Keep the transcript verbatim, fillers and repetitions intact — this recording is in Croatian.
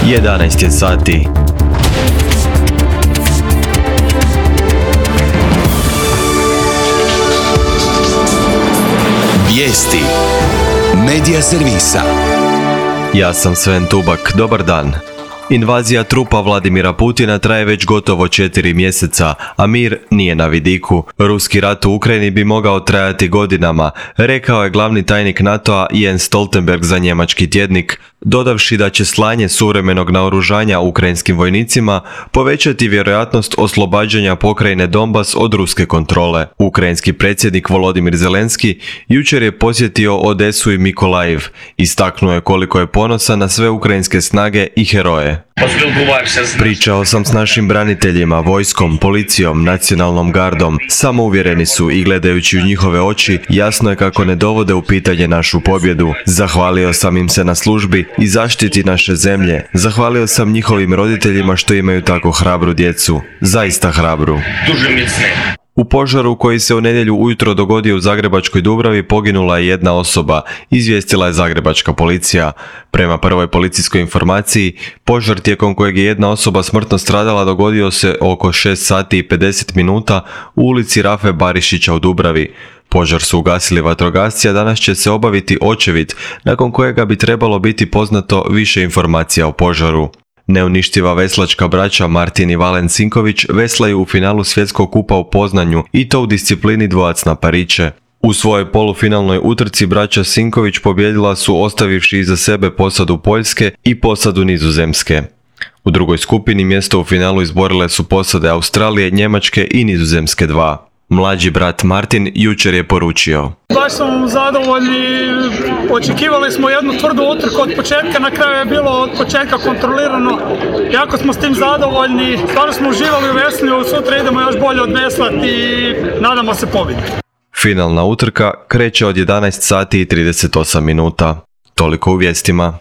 jedanaest je sati. Vijesti Medija servisa. Ja sam Sven Tubak, dobar dan. Invazija trupa Vladimira Putina traje već gotovo četiri mjeseca, a mir nije na vidiku. Ruski rat u Ukrajini bi mogao trajati godinama, rekao je glavni tajnik NATO-a Jens Stoltenberg za njemački tjednik, dodavši da će slanje suvremenog naoružanja ukrajinskim vojnicima povećati vjerojatnost oslobađanja pokrajine Donbas od ruske kontrole. Ukrajinski predsjednik Volodimir Zelenski jučer je posjetio Odesu i Mikolajiv. Istaknuo je koliko je ponosan na sve ukrajinske snage i heroje. Pričao sam s našim braniteljima, vojskom, policijom, nacionalnom gardom. Samouvjereni su i gledajući u njihove oči, jasno je kako ne dovode u pitanje našu pobjedu. Zahvalio sam im se na službi i zaštiti naše zemlje. Zahvalio sam njihovim roditeljima što imaju tako hrabru djecu. Zaista hrabru. U požaru koji se u nedjelju ujutro dogodio u Zagrebačkoj Dubravi poginula je jedna osoba, izvijestila je zagrebačka policija. Prema prvoj policijskoj informaciji, požar tijekom kojeg je jedna osoba smrtno stradala dogodio se oko šest sati i pedeset minuta u ulici Rafe Barišića u Dubravi. Požar su ugasili vatrogasci, a danas će se obaviti očevid, nakon kojega bi trebalo biti poznato više informacija o požaru. Neuništiva veslačka braća Martin i Valen Sinković veslaju u finalu svjetskog kupa u Poznanju i to u disciplini dvojac na pariće. U svojoj polufinalnoj utrci braća Sinković pobijedila su ostavivši iza sebe posadu Poljske i posadu Nizozemske. U drugoj skupini mjesto u finalu izborile su posade Australije, Njemačke i Nizozemske dva. Mlađi brat Martin jučer je poručio: Baš smo zadovoljni, očekivali smo jednu tvrdu utrku od početka, na kraju je bilo od početka kontrolirano. Jako smo s tim zadovoljni, stvarno smo uživali u veslju, sutra idemo još bolje odveslati i nadamo se pobjedi. Finalna utrka kreće od jedanaest sati i trideset osam minuta. Toliko u vijestima.